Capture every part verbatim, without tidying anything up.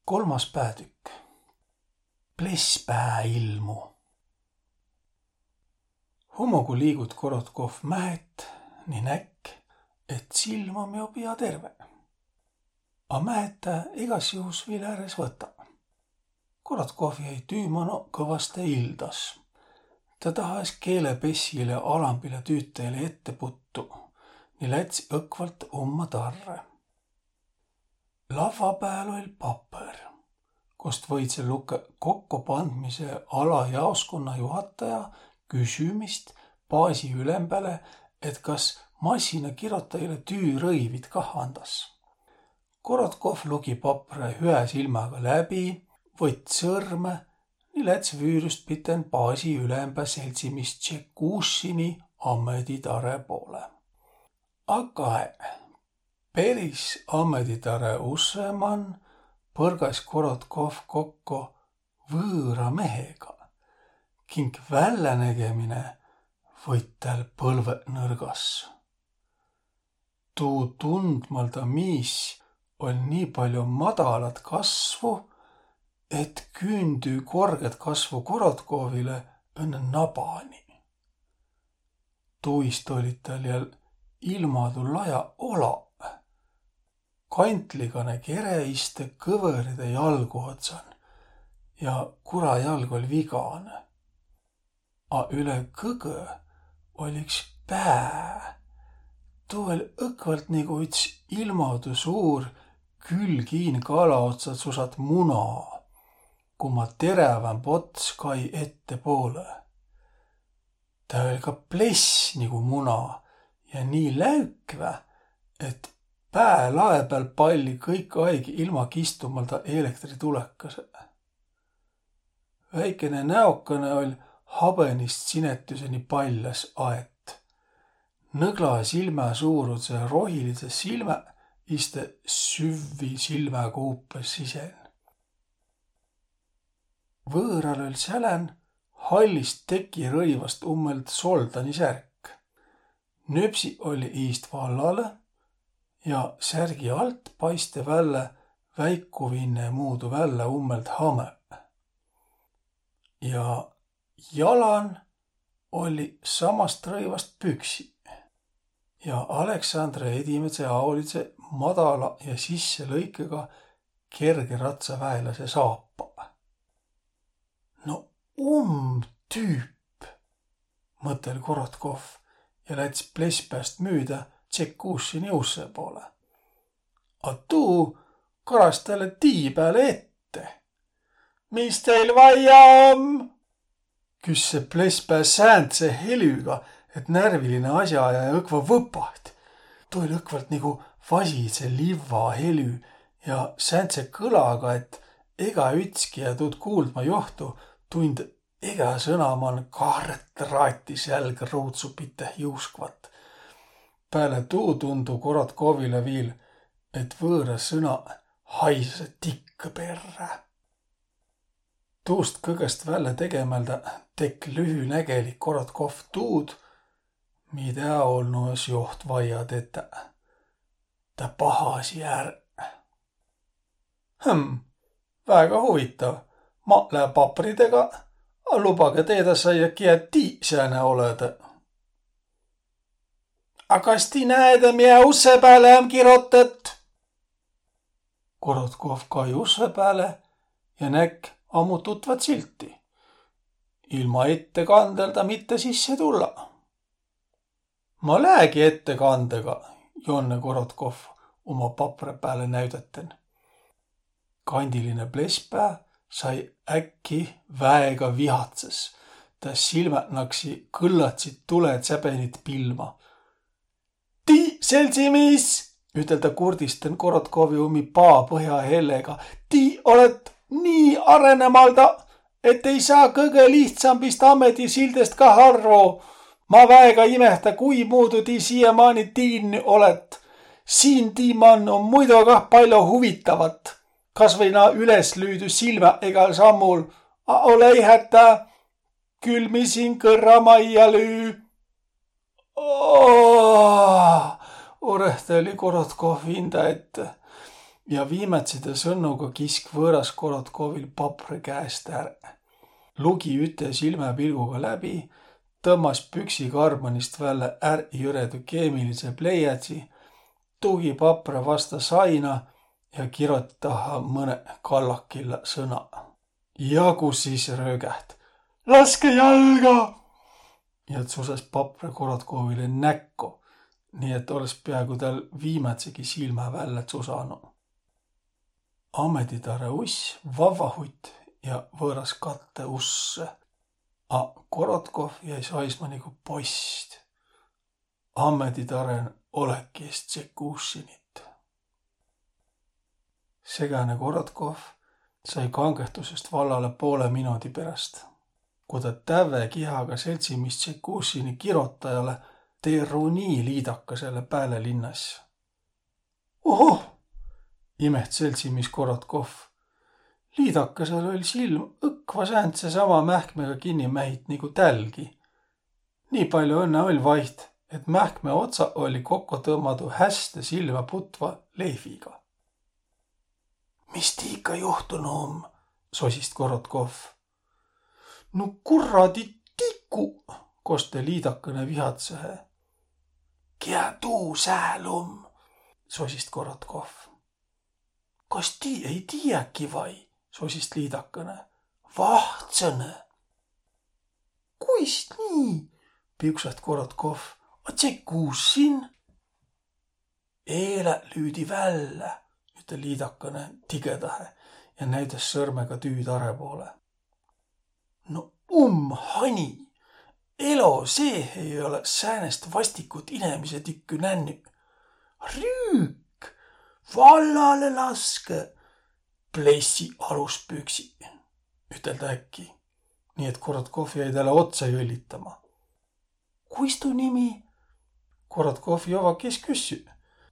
Kolmas päätükk. Plesspää ilmu. Hummogu liigut Korotkohv mähet ni näkk, et silm om jo pia terve. A mähet tä egas juhus viil ärres võta. Korotkohv jäi tüü mano kõvvaste ildas. Tä tahas keelepessile alambile tüütajile ette puttu, ni läts õkvalt umma tarre. Lavva pääl oll' papõr, kost võidse lukõ kokkopandmise alajaoskonna juhataja küsümist baasi ülembäle, et kas massinakirotajilõ tüürõivit kah andas. Korotkohv lugi papre hüä silmäga läbi, võtt sõrmõ ni läts vüürüst piten baasi ülembä seldsimiis Tšekušini ammeditare poole. A kae, peris ammeditare usse man põrgas Korotkohv kokko võõra mehega, kink vällänägemine võit täl põlvõq nõrgas. Tuu tundmalda miis oll' nii paljo madalat kasvu, et küündü korgõt kasvu Korotkohvile õnnõ nabani. Tuist ollit täl jal ilmadu laja olaq. Kantligane kere iste kõvõride jalgu otsan ja kurajalg oll' viganõ. A üle kõgõ oll' iks pää. Tuu oll' õkvalt nigu üts ilmadu suur külgiin kala otsa tsusat muna, ku ma terävämb ots kai ettepoolõ. Tä oll' ka pless nigu muna ja nii läükvä, et pää lae pääl palli kõik aig ilma kistumalda elektritulekasõ. Väikene näokene oll' habõnist sinetüseni paljas aet. Nõgla silmä suurudse rohilidse silmä iste süvvi silmäkuupõ sisen. Võõral oll' sälän hallist tekirõivast ummõld soldani särk. Nüpsi olli iist vallalõ ja särgi alt paiste vällä väikuvinne muudu vällä ummõld hamõ. Ja jalan olli samast rõivast püksi. Ja Aleksandre edimädse aolidse madala ja sisse lõikega kergeratsaväeläse saapa. No um tüüp, mõtel Korotkov ja läts plesspääst müüdä Tšekušini usse poole. A tuu karas tälle tii pääle ette. Mis teil vaia om? Küsse plesspää säändse helüga, et närviline asjaajaja õkva võpaht. Tuu oll' õkvalt nigu vasidse livva helü ja säändse kõlaga, et ega ütski ja tuud kuuldma johtu tund ega sõna man kaarõt raati sälgä ruudsupite juuskvat. Pääle tuu tundu Korotkovile viil, et võõra sõna haisase tikkõ perrä. Tuust kõgõst vällä tegemäldä tekk' lühünägelik Korotkov tuud, midä olnu es joht vaia tetä. Tä pahasi är. Hm, väega huvitav. Maq lää papridega, a lubage teedä saia, kiä tii sääne olete. A kas tii näede, miä usse pääle om kirotõt? Korotkov kai usse pääle ja näkk' ammu tutvat silti. Ilma ettekandelda mitte sisse tulla. Ma läägi ettekandega, Jonne Korotkov uma papre pääle näüdäten. Kandiline plesspää sai äkki väega vihatsas. Tä silmät naksi kõllatsit tuletsäbenit pilma. Tii, seldsimiis, üteldä kurdisten Korotkovi umi paa põhja hellega, tii olet nii arenemalda, et ei saa kõgõ lihtsambist ammedisildest kah arvo. Ma väega imehtá, kuimuudu tii siiämaani tiinnü olet. Siin tii man om muido kah pallo huvitavat. Kasvai naa üleslüüdü silmä egal sammul. A olei hätä, kül mi siin kõrra maija lüü. Oh, orehteli Korotkov vinda ette. ja viimätside sõnnuga kisk vöras Korotkovil papre käest ärä. Lugi üte silmäpilguga läbi, tõmmas püksi karmanist vällä ärjüredu keemilise pleiädsi, tugi papre vasta saina ja kiroti taha mõne kallakilla sõna. Ja ku sis röögäht: „Laske jalga!“ Ja tsusas papre Korotkovile näkko, nii et oles peagu tal viimätsegi silmä vällä tsusanu. Ametitare uss vavvahut ja vöras katte usse. A Korotkov jäi saisma nigu post. Ametitaren olekis džekuusinit. Sekäne Korotkov sai kangehtusest vallale poole minodi peräst, ku ta tävve kihaga seltsimis džekuusini kirotajale Teruni liidakasele pääle linnas. „Ohoh!“ imeht seltsimis Korotkov. „Liidakasel oll' silm õkva säändse sama mähkmega kinni mähit nigu tälgi. Nii paljo õnne oll' vaiht, et mähkme otsa olli kokko tõmmadu häste silmä putva lehviga.“ „Mis tiika juhtunu om?“ sosist Korotkov. „Nu kurradi tiku!“ koste liidakane vihatsõhe. „Kiä tuu sääl om?“ sosist Korotkov. „Kas ti ei tiiäki vai?“ sosist liidakane. „Vahtsõnõ.“ „Kuis nii?“ piuksat Korotkov. „A džekuusin?“ „Eelä lüüdi vällä,“ ütel' liidakane tigõdahe ja näüdäs sõrmega tüütare poole. „No um hani! Elo seeh ei ole säänest vastikut inemise tikkü nännü. Rüük! Vallale laske! Plessi aluspüksi!“ ütel' ta äkki, nii et Korotkov jäi talle otsa jõllitama. „Kuis tu nimi?“ Korotkov jovva kes küssü.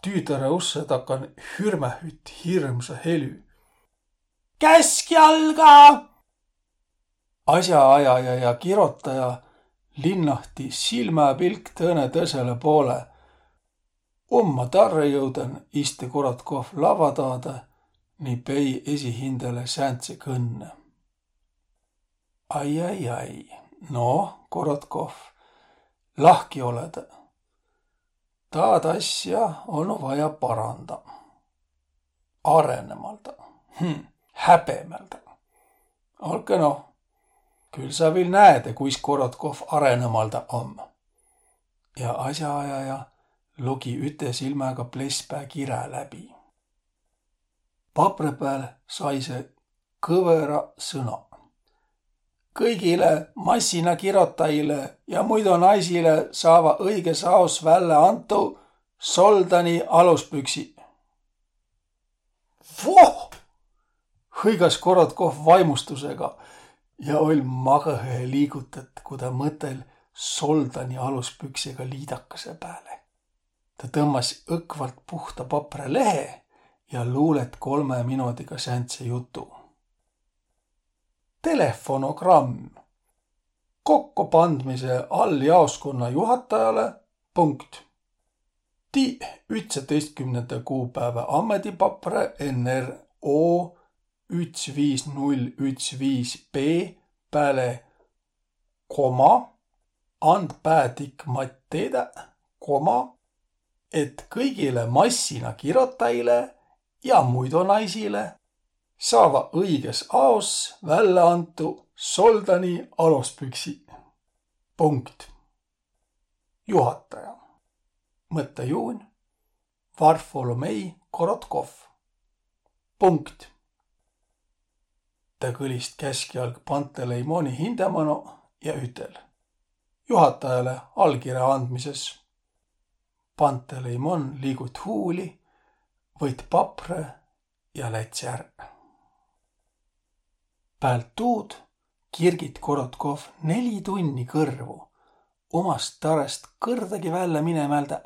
Tüütare usse takan hürmähüt hirmsa helü. „Käskjalga!“ Asjaajaja ja kirotaja linnahti silmäpilk tõõnõ tõsele poole. Umma tarrõ jõuden iste Korotkov lavva taadõ ni pei esi hindäle säändse kõnne. „Ai, ai, ai. No, Korotkov, lahki olede. Taad asja olnu vaja paranda. Arenemalda. Hm, häbemäldä. Olke no, kül sa vil näede, kuis Korotkov arenemalda om.“ Ja asjaajaja lugi üte silmäga plespää kirä läbi. Papre pääl saise kõvera sõna. „Kõigile massinakirotajile ja muido naisile saava õiges aos vällä antu soldani aluspüksi.“ „Voh!“ hõigas Korotkov vaimustusega ja oll' magõhe liigutet, ku ta mõtel soldani aluspüksega liidakase pääle. Ta tõmmas õkvalt puhta papre lehe ja luulet kolme minodiga säändse jutu. Telefonogramm. Kokkopandmise alljaoskonna juhatajale, punkt. Ti ütsetõistkümnendä kuupäävä ammedipapre N R O üts viis null üts viis B pääle koma, and päädikmat teedä, koma, et kõigile massinakirotajile ja muido naisile saava õiges aos vällä antu soldani alospüksi. Punkt. Juhataja. Mõttejuun: Varfolomei Korotkov. Punkt. Ta kõlist käskjalg Panteleimoni hindä mano ja ütel: Juhatajale allkirä andmises. Panteleimon liigut huuli, võit papre ja läts' ärr. Päält tuud kirgit Korotkov neli tunni kõrvu, umast tarõst kõrdagi vällä minemäldä,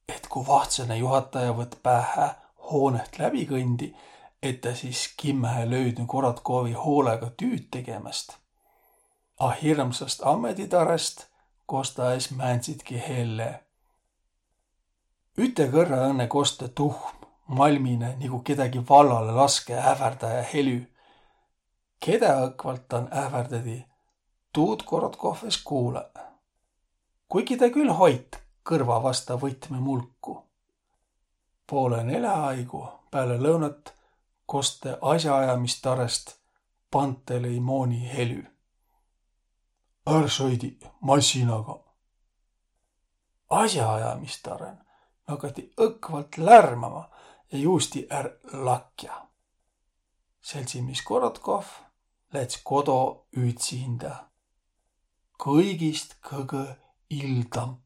et ku vahtsõne juhataja võt päähä hoonet läbikõndi, et tä sis kimmähe löüdnü Korotkovi hoolega tüüd tegemäst. A hirmsast ammeditarõst kosta es määndsitki helle. Üte kõrra õnne kostõ tuhm. malmine nigu kedägi vallale laske ähvärdäjä helü. Kedä õkvalt dan ähvärdädi, tuud Korotkov es kuulõ. Kuigi tä kül hoit kõrva vasta võtme mulku. Poolõ nelä aigu pääle lõunat koste asjaajamistarest Pantelei mooni helü. Är sõidi massinaga. Asjaajamistaren nakati õkvalt lärmama ja juusti är lakja. Seltsimis Korotkov läts kodo ütsindä. Kõigist kõgõ ildamb